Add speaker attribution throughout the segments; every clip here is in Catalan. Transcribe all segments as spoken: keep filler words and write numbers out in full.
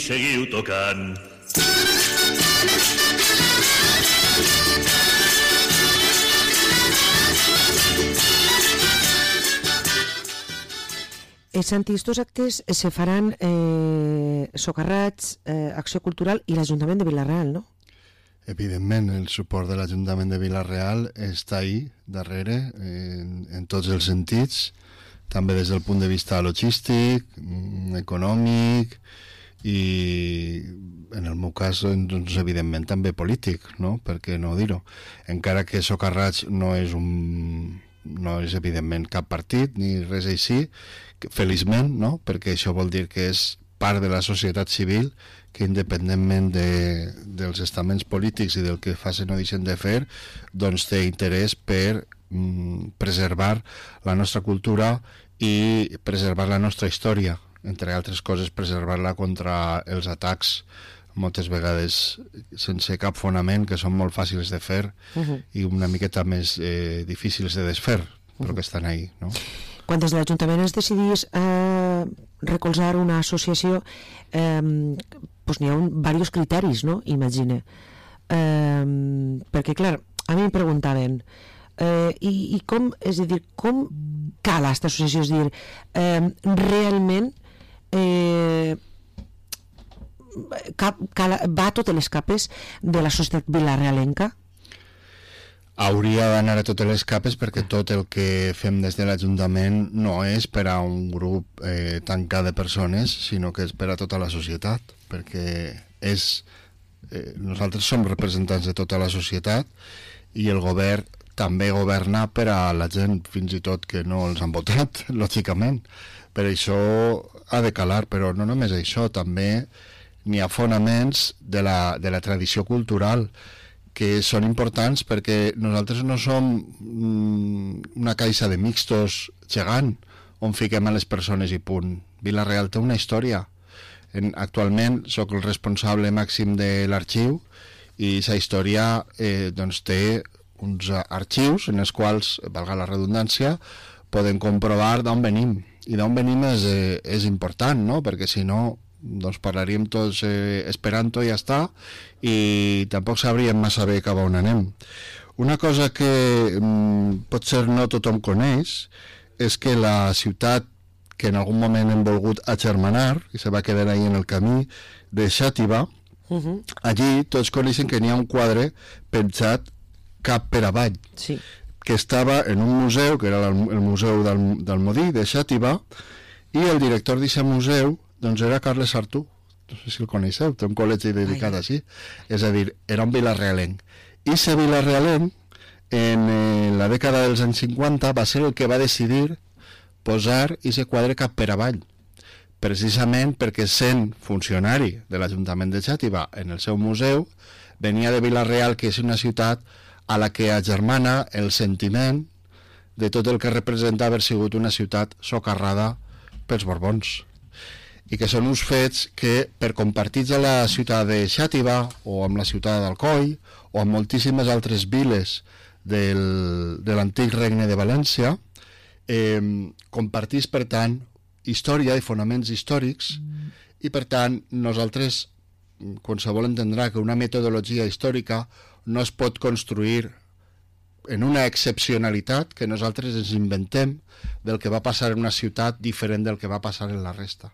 Speaker 1: seguiu tocant.
Speaker 2: Els estos actes se faran eh, socarrats, eh, Acció Cultural i l'Ajuntament de Vila-real, no?
Speaker 3: Evidentment, el suport de l'Ajuntament de Vila-real està ahí, darrere, en, en tots els sentits, també des del punt de vista logístic, econòmic i, en el meu cas, doncs, evidentment, també polític, no? Per què no dir-ho? Encara que Socarrats no és un... no és, evidentment, cap partit, ni res així, feliçment, no? Perquè això vol dir que és part de la societat civil que, independentment de, dels estaments polítics i del que facin o deixen de fer, doncs té interès per mm, preservar la nostra cultura i preservar la nostra història, entre altres coses, preservar-la contra els atacs moltes vegades sense cap fonament, que són molt fàcils de fer uh-huh. i una miqueta més eh, difícils de desfer, però uh-huh. que estan ahí, no?
Speaker 2: Quan des de l'Ajuntament es decidís eh, recolzar una associació, eh, doncs n'hi ha un, diversos criteris, no? Imagine. Eh, perquè, clar, a mi em preguntaven eh, i, i com, és a dir, com cal aquesta associació? És a dir, eh, realment eh, cap, cal, va a totes les capes de la societat vilarealenca?
Speaker 3: Hauria d'anar a totes les capes, perquè tot el que fem des de l'Ajuntament no és per a un grup eh, tancat de persones, sinó que és per a tota la societat, perquè és, eh, nosaltres som representants de tota la societat i el govern també governa per a la gent, fins i tot que no els han votat, lògicament. Per això ha de calar, però no només això, també n'hi ha fonaments de la, de la tradició cultural que són importants, perquè nosaltres no som mm, una caixa de mixtos gegant on fiquem a les persones i punt. Vila-real té una història. En, actualment sóc el responsable màxim de l'arxiu i aquesta història eh, doncs té uns arxius en els quals, valga la redundància, poden comprovar d'on venim. I d'on venim és, eh, és important, no? Perquè si no doncs parlaríem tots eh, esperanto i ja està, i tampoc sabríem massa bé cap a on anem. Una cosa que mm, potser no tothom coneix és que la ciutat que en algun moment hem volgut agermanar i se va quedar ahí en el camí de Xàtiva, uh-huh. allí tots coneixen que n'hi ha un quadre penjat cap per avall,
Speaker 2: sí.
Speaker 3: que estava en un museu, que era el, el museu del, del Modí de Xàtiva, i el director d'aquest museu doncs era Carles Artú, no sé si el coneixeu, té un col·legi dedicat Ai. Així, és a dir, era un vilarealenc. I ese vilarealenc, en eh, la dècada dels anys cinquanta, va ser el que va decidir posar aquest quadre cap per avall, precisament perquè, sent funcionari de l'Ajuntament de Xàtiva en el seu museu, venia de Vila-real, que és una ciutat a la que agermana el sentiment de tot el que representa haver sigut una ciutat socarrada pels Borbons, i que són uns fets que, per compartits a la ciutat de Xàtiva o amb la ciutat d'Alcoi o amb moltíssimes altres viles del, de l'antic regne de València, eh, compartís, per tant, història i fonaments històrics, mm. i, per tant, nosaltres, qualsevol entendrà que una metodologia històrica no es pot construir en una excepcionalitat que nosaltres ens inventem del que va passar en una ciutat diferent del que va passar en la resta.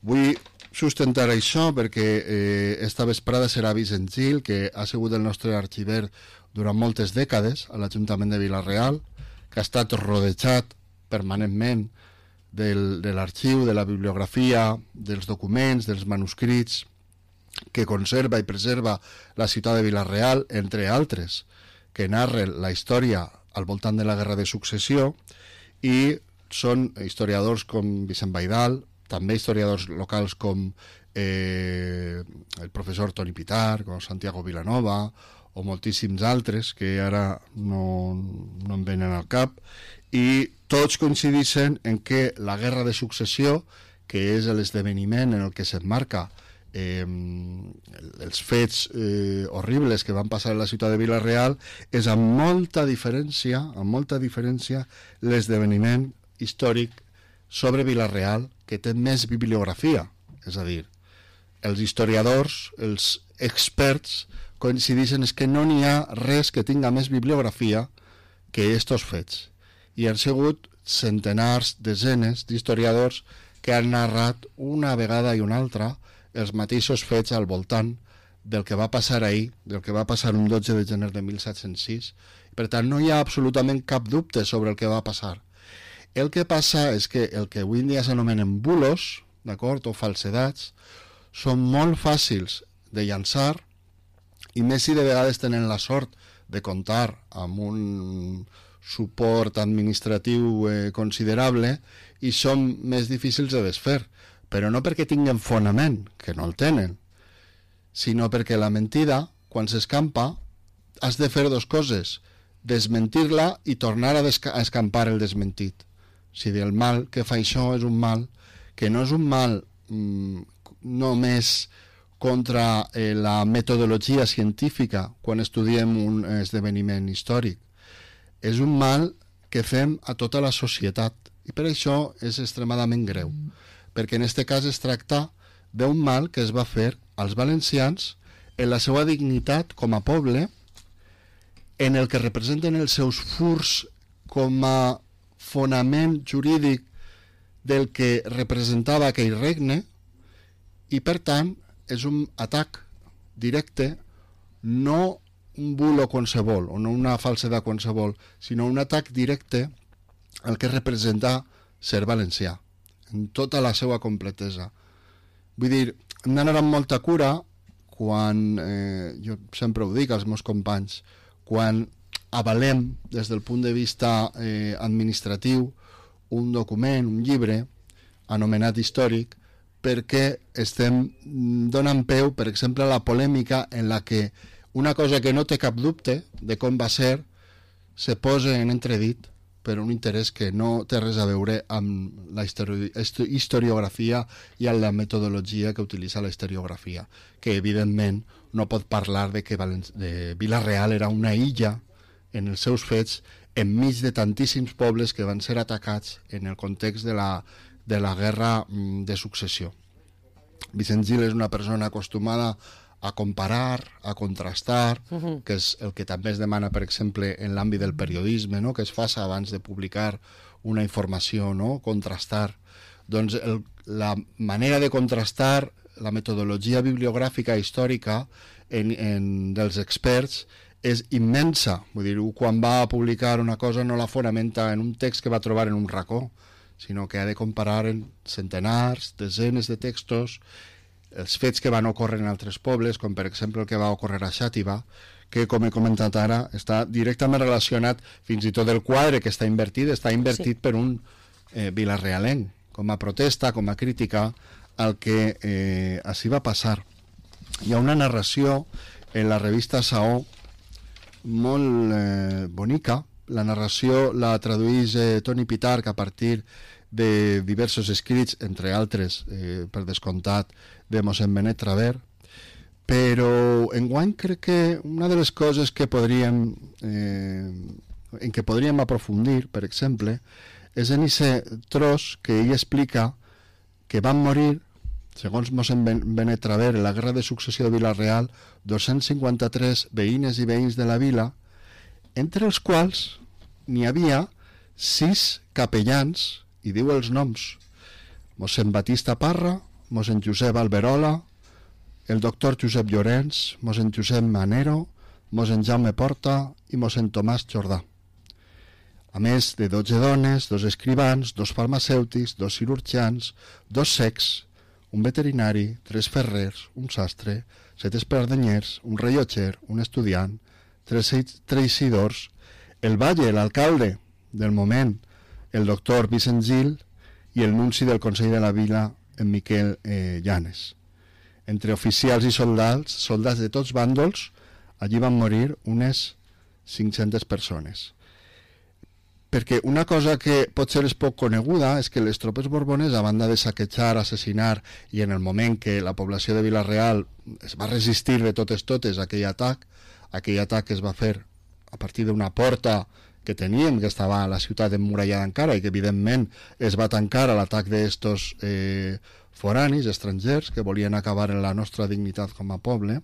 Speaker 3: Vull sustentar això perquè eh, esta vesprada serà Vicent Gil, que ha sigut el nostre arxiver durant moltes dècades a l'Ajuntament de Vila-real, que ha estat rodejat permanentment del, de l'arxiu, de la bibliografia, dels documents, dels manuscrits, que conserva i preserva la ciutat de Vila-real, entre altres, que narren la història al voltant de la Guerra de Successió, i són historiadors com Vicent Baidal, també historiadors locals com eh, el professor Toni Pitar, com Santiago Vilanova, o moltíssims altres que ara no, no em venen al cap, i tots coincideixen en que la Guerra de Successió, que és l'esdeveniment en el que s'emmarca eh, els fets eh, horribles que van passar a la ciutat de Vila-real, és amb molta diferència, amb molta diferència l'esdeveniment històric sobre Vila-real, que té més bibliografia, és a dir, els historiadors, els experts, coincideixen és que no n'hi ha res que tinga més bibliografia que estos fets. I han sigut centenars, desenes d'historiadors que han narrat una vegada i una altra els mateixos fets al voltant del que va passar ahir, del que va passar un dotze de gener de mil set-cents sis. Per tant, no hi ha absolutament cap dubte sobre el que va passar. El que passa és que el que avui en dia s'anomenen bulos, d'acord, o falsedats, són molt fàcils de llançar, i més si de vegades tenen la sort de comptar amb un suport administratiu eh, considerable, i són més difícils de desfer, però no perquè tinguen fonament, que no el tenen, sinó perquè la mentida, quan s'escampa, has de fer dues coses: desmentir-la i tornar a, a escampar el desmentit. O sigui, el mal que fa això és un mal que no és un mal mm, només contra eh, la metodologia científica quan estudiem un esdeveniment històric. És un mal que fem a tota la societat, i per això és extremadament greu, perquè en aquest cas es tracta d'un mal que es va fer als valencians en la seva dignitat com a poble, en el que representen els seus furs com a fonament jurídic del que representava aquell regne, i per tant és un atac directe, no un bulo qualsevol o no una falsedat qualsevol, sinó un atac directe al que representa ser valencià en tota la seva completesa. Vull dir, hem d'anar amb molta cura quan, eh, jo sempre ho dic als meus companys, quan avalem des del punt de vista eh, administratiu un document, un llibre anomenat històric, perquè estem donant peu, per exemple, a la polèmica en la que una cosa que no té cap dubte de com va ser se posa en entredit per un interès que no té res a veure amb la histori historiografia i amb la metodologia que utilitza la historiografia, que evidentment no pot parlar de que Valen de Vila-real era una illa en els seus fets enmig de tantíssims pobles que van ser atacats en el context de la, de la guerra de successió. Vicent Gil és una persona acostumada a comparar, a contrastar, uh-huh. que és el que també es demana, per exemple, en l'àmbit del periodisme, no? Que es faci abans de publicar una informació, no? Contrastar. Doncs el, la manera de contrastar la metodologia bibliogràfica històrica en, en, dels experts és immensa. Vull dir, quan va a publicar una cosa no la fonamenta en un text que va trobar en un racó, sinó que ha de comparar en centenars, desenes de textos, els fets que van ocórrer en altres pobles, com per exemple el que va ocórrer a Xàtiva, que, com he comentat ara, està directament relacionat, fins i tot el quadre que està invertit, està invertit sí. per un eh, vilarealenc, com a protesta, com a crítica al que eh, així va passar. Hi ha una narració en la revista Saó molt eh, bonica. La narració la traduïx eh, Toni Pitarch a partir de diversos escrits, entre altres, eh, per descomptat, de mossèn Benet Traver, però enguany crec que una de les coses que podríem, eh, en què podríem aprofundir, per exemple, és en aquest tros que ell explica que van morir, segons mossèn Benet Traver, en la guerra de successió de Vila-real, dos-cents cinquanta-tres veïnes i veïns de la vila, entre els quals n'hi havia sis capellans, i diu els noms: mossèn Batista Parra, mossèn Josep Alberola, el doctor Josep Llorenç, mossèn Josep Manero, mossèn Jaume Porta i mossèn Tomàs Jordà. A més de dotze dones, dos escrivans, dos farmacèutics, dos cirurgians, dos cecs, un veterinari, tres ferrers, un sastre, set espardenyers, un rellotger, un estudiant, tres teixidors, el batlle, l'alcalde del moment, el doctor Vicent Gil, i el nunci del Consell de la Vila, en Miquel eh, Llanes. Entre oficials i soldats, soldats de tots bàndols, allí van morir unes cinc-centes persones. Perquè una cosa que potser és poc coneguda és que les tropes borbones, a banda de saquejar, assassinar, i en el moment que la població de Vila-real es va resistir de totes totes a aquell atac, aquell atac es va fer a partir d'una porta que teníem, que estava a la ciutat emmurallada encara i que evidentment es va tancar a l'atac d'estos eh, foranis, estrangers, que volien acabar en la nostra dignitat com a poble.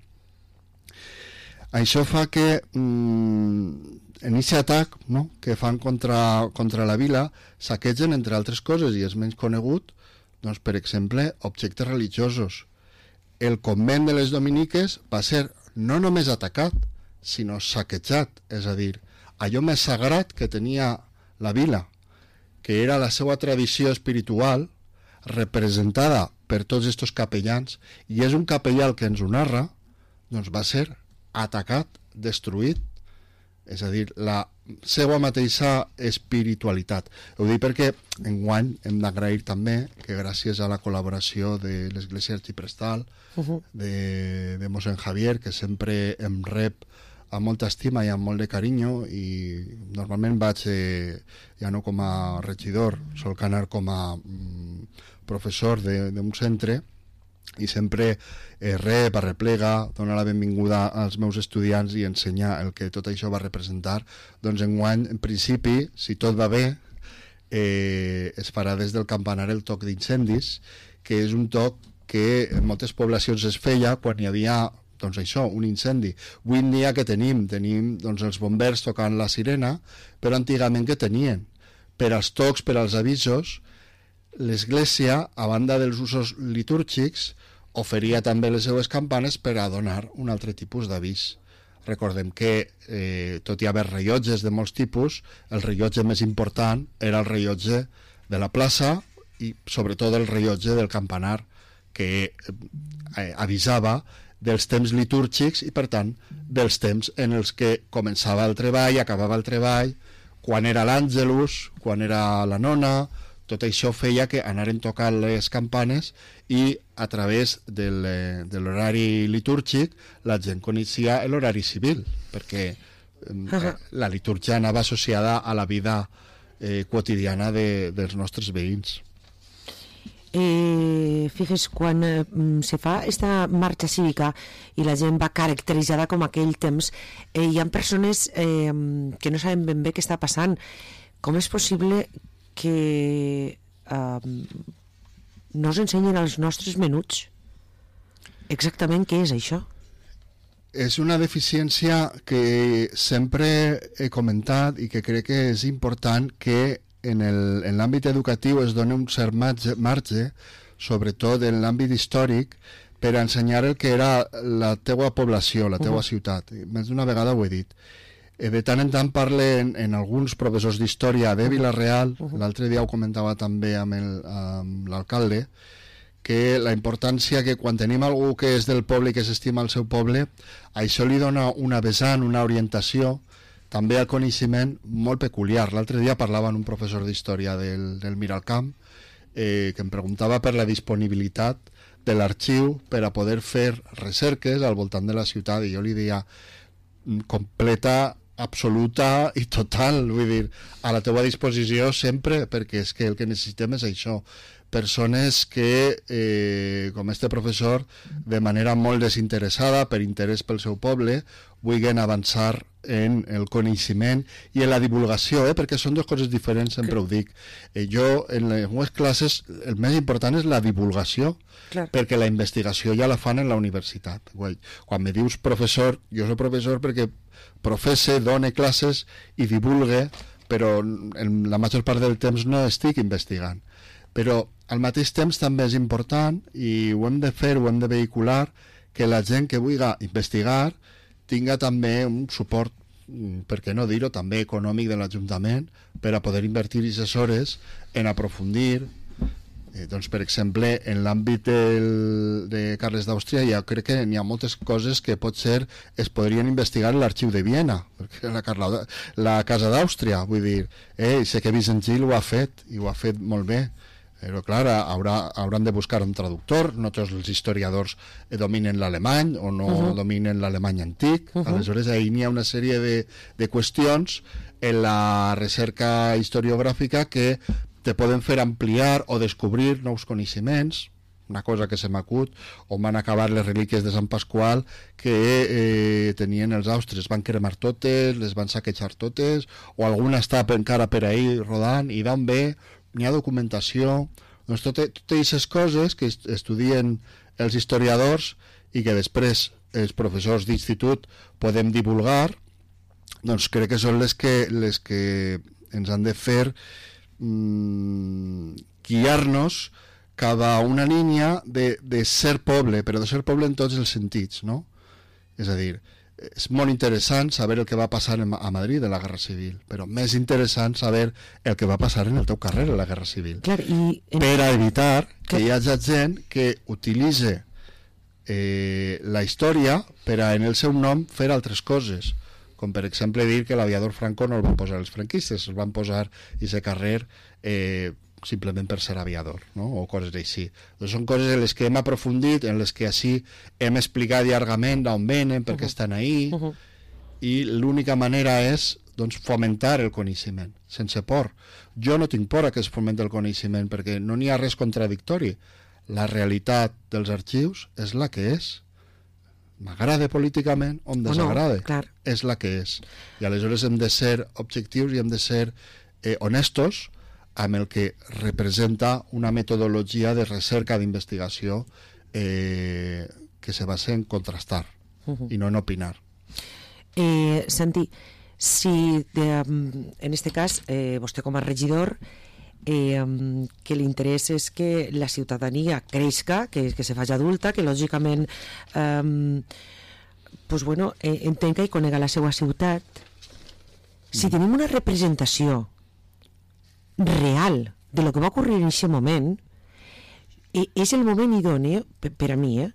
Speaker 3: Això fa que mm, en aquest atac, no?, que fan contra, contra la vila, saquegen, entre altres coses, i és menys conegut, doncs, per exemple, objectes religiosos. El convent de les Dominiques va ser no només atacat, sinó saquejat, és a dir, allò més sagrat que tenia la vila, que era la seva tradició espiritual, representada per tots aquests capellans, i és un capellà el que ens ho narra, doncs va ser atacat, destruït, és a dir, la seva mateixa espiritualitat. Ho dic perquè enguany hem d'agrair també que gràcies a la col·laboració de l'Església Arxiprestal, uh-huh. de, de mossèn Javier, que sempre em rep amb molta estima i amb molt de carinyo, i normalment vaig, eh, ja no com a regidor, sol anar com a mm, professor d'un centre, i sempre eh, rep, arreplega, dona la benvinguda als meus estudiants i ensenya el que tot això va representar. Doncs enguany, en principi, si tot va bé, eh, es farà des del campanar el toc d'incendis, que és un toc que en moltes poblacions es feia quan hi havia, doncs això, un incendi. Avui en dia que tenim? Tenim doncs, els bombers tocant la sirena, però antigament que tenien? Per als tocs, per als avisos, l'Església, a banda dels usos litúrgics, oferia també les seues campanes per a donar un altre tipus d'avís. Recordem que, eh, tot i haver rellotges de molts tipus, el rellotge més important era el rellotge de la plaça i sobretot el rellotge del campanar, que eh, avisava dels temps litúrgics i, per tant, dels temps en els que començava el treball, acabava el treball, quan era l'àngelus, quan era la nona. Tot això feia que anaren tocant les campanes i a través del, de l'horari litúrgic la gent coneixia l'horari civil, perquè eh, la litúrgia anava associada a la vida eh, quotidiana de, dels nostres veïns.
Speaker 2: Eh, fixes, quan eh, se fa esta marxa cívica i la gent va caracteritzada com aquell temps, eh, hi ha persones eh, que no saben ben bé què està passant. Com és possible que eh, no ens ensenyen als nostres menuts exactament què és això?
Speaker 3: És una deficiència que sempre he comentat i que crec que és important que en el, en l'àmbit educatiu es doni un cert marge, marge, sobretot en l'àmbit històric, per ensenyar el que era la teua població, la teua uh-huh. ciutat. Més d'una vegada ho he dit. De tant en tant parlen en alguns professors d'història de Vila-real, uh-huh. l'altre dia ho comentava també amb, el, amb l'alcalde, que la importància que quan tenim algú que és del poble i que s'estima el seu poble, això li dona una vessant, una orientació, també al coneixement molt peculiar. L'altre dia parlava amb un professor d'història del, del Miralcamp, eh, que em preguntava per la disponibilitat de l'arxiu per a poder fer recerques al voltant de la ciutat, i jo li deia completa, absoluta i total, vull dir, a la teva disposició sempre, perquè és que el que necessitem és això, persones que, eh, com este professor, de manera molt desinteressada, per interès pel seu poble, vulguin avançar en el coneixement i en la divulgació, eh? perquè són dues coses diferents, sempre ho dic. Eh, jo, en les meves classes, el més important és la divulgació, clar. Perquè la investigació ja la fan en la universitat. Quan me dius professor, jo soc professor perquè professe, done classes i divulgue, però en la major part del temps no estic investigant. Però al mateix temps també és important, i ho hem de fer, ho hem de vehicular, que la gent que vulgui investigar tinga també un suport, per què no dir-ho, també econòmic de l'Ajuntament, per a poder invertir aquestes hores en aprofundir. Eh, doncs, per exemple, en l'àmbit del, de Carles d'Àustria, ja crec que n'hi ha moltes coses que potser es podrien investigar en l'arxiu de Viena, perquè la, Carla, la Casa d'Àustria, vull dir, eh, sé que Vicent Gil ho ha fet, i ho ha fet molt bé, però clar, haurà, hauran de buscar un traductor, no tots els historiadors dominen l'alemany o no uh-huh. dominen l'alemany antic, uh-huh. aleshores ahir n'hi ha una sèrie de, de qüestions en la recerca historiogràfica que te poden fer ampliar o descobrir nous coneixements, una cosa que se m'acut, on van acabar les relíquies de Sant Pasqual que eh, tenien els austres, van cremar totes, les van saquejar totes, o alguna està encara per ahí rodant, i d'on ve, n'hi ha documentació, doncs totes aquestes coses que estudien els historiadors i que després els professors d'institut podem divulgar, doncs crec que són les que, les que ens han de fer mmm, guiar-nos cap a una línia de, de ser poble, però de ser poble en tots els sentits, no? És a dir, és molt interessant saber el que va passar a Madrid en la Guerra Civil, però més interessant saber el que va passar en el teu carrer en la Guerra Civil.
Speaker 2: Clar, i...
Speaker 3: Per a evitar que hi hagi gent que utilitzi eh, la història per a, en el seu nom, fer altres coses, com per exemple dir que l'aviador Franco no el van posar els franquistes, el van posar i ese carrer eh, simplement per ser aviador, no? O coses així. Doncs són coses en les que hem aprofundit, en les que així hem explicat llargament d'on venen, per què uh-huh. estan ahí, uh-huh. i l'única manera és doncs, fomentar el coneixement, sense por. Jo no tinc por a que es fomenti el coneixement, perquè no n'hi ha res contradictori. La realitat dels arxius és la que és. M'agrada políticament o em desagrada.
Speaker 2: No, clar.
Speaker 3: És la que és. I aleshores hem de ser objectius i hem de ser eh, honestos amb el que representa una metodologia de recerca d'investigació eh, que se basa en contrastar uh-huh. i no en opinar.
Speaker 2: Eh, Santi, si de, en este cas eh, vostè com a regidor eh, que l'interès és que la ciutadania creixca, que, que se faci adulta, que lògicament eh, pues bueno, eh, entenga i conega la seva ciutat, si mm. tenim una representació real de lo que va ocurrir en aquest moment, eh, és el moment idoni per, per a mi eh,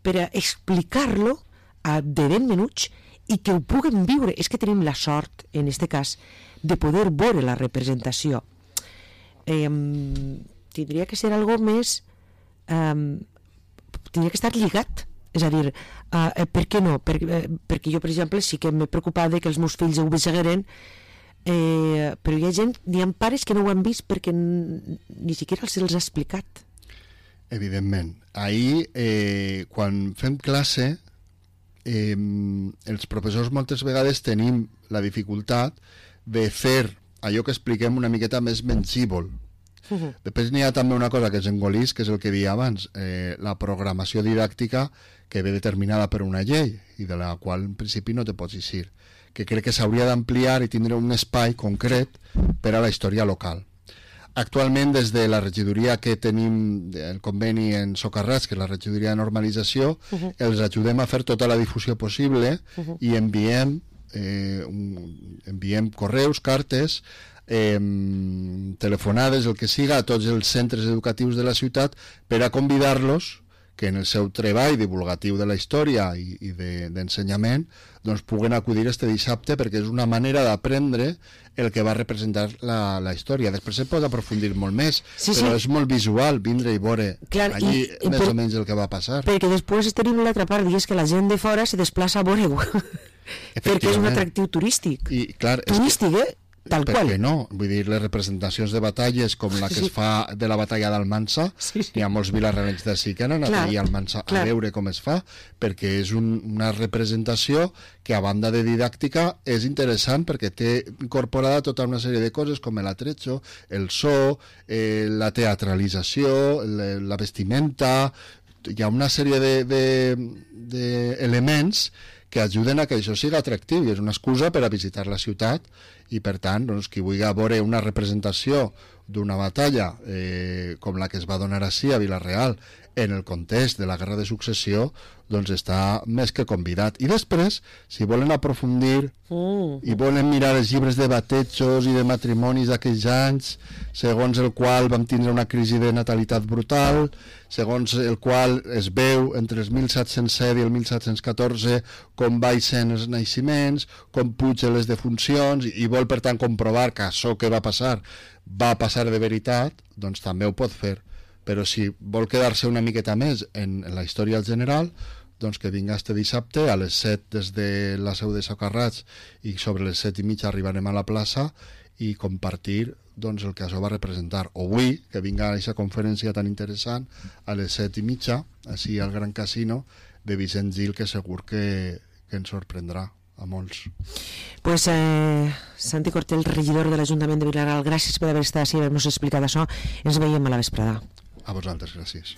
Speaker 2: per a explicar-lo a de ben menuts i que ho puguem viure. És que tenim la sort en aquest cas de poder veure la representació. Eh, tindria que ser algo més eh, tindria que estar lligat, és a dir, eh, per què no? Per, eh, perquè jo, per exemple, sí que m'he preocupat de que els meus fills ho veigueren. Eh, però hi ha gent, hi ha pares que no ho han vist perquè ni siquiera se'ls ha explicat.
Speaker 3: Evidentment. Ahir, eh, quan fem classe, eh, els professors moltes vegades tenim la dificultat de fer allò que expliquem una miqueta més mensívol. Uh-huh. Després n'hi ha també una cosa que és engolís, que és el que deia abans, eh, la programació didàctica que ve determinada per una llei i de la qual en principi no te pots eixir, que crec que s'hauria d'ampliar i tindre un espai concret per a la història local. Actualment, des de la regidoria que tenim el conveni en Socarrats, que és la regidoria de normalització, uh-huh. els ajudem a fer tota la difusió possible uh-huh. i enviem, eh, un, enviem correus, cartes, eh, telefonades, el que siga, a tots els centres educatius de la ciutat per a convidar-los que en el seu treball divulgatiu de la història i, i de, d'ensenyament doncs puguen acudir este dissabte, perquè és una manera d'aprendre el que va representar la, la història. Després se pot aprofundir molt més,
Speaker 2: sí,
Speaker 3: però
Speaker 2: sí.
Speaker 3: és molt visual vindre i veure Clar, allí i, més per, o menys el que va passar.
Speaker 2: Perquè després tenim l'altra part, i és que la gent de fora se desplaça a veure-ho perquè és un atractiu turístic.
Speaker 3: I, clar,
Speaker 2: turístic,
Speaker 3: que...
Speaker 2: eh? Tal
Speaker 3: per
Speaker 2: qual.
Speaker 3: què no? Vull dir, les representacions de batalles com la que sí. es fa de la batalla d'Almansa, sí, sí. hi ha molts vilarrelencs d'ací que han anat allà a Almansa a veure com es fa, perquè és un, una representació que a banda de didàctica és interessant perquè té incorporada tota una sèrie de coses com l'atrecho, el so, eh, la teatralització, la, la vestimenta, hi ha una sèrie de, de, de elements que ajuden a que això sigui atractiu i és una excusa per a visitar la ciutat i per tant, doncs, qui vulgui veure una representació d'una batalla eh, com la que es va donar així a Vila-real en el context de la Guerra de Successió, doncs està més que convidat. I després, si volen aprofundir mm. i volen mirar els llibres de batejos i de matrimonis d'aquells anys, segons el qual vam tindre una crisi de natalitat brutal, segons el qual es veu entre el mil set-cents set i el mil set-cents catorze com baixen els naixements, com pugen les defuncions, i vol per tant comprovar que això que va passar va passar de veritat, doncs també ho pot fer. Però si vol quedar-se una miqueta més en, en la història general, doncs que vinga este dissabte a les set des de la seu de Socarrats i sobre les set i mitja arribarem a la plaça i compartir doncs, el que això va representar. O avui, que vinga a aquesta conferència tan interessant a les set i mitja, així al Gran Casino de Vicent Gil, que segur que, que ens sorprendrà a molts.
Speaker 2: Pues eh, Santi Cortel, regidor de l'Ajuntament de Vilareal, gràcies per haver estat així i haver-nos explicat això. Ens veiem a la vesprada.
Speaker 3: A vosaltres, gràcies.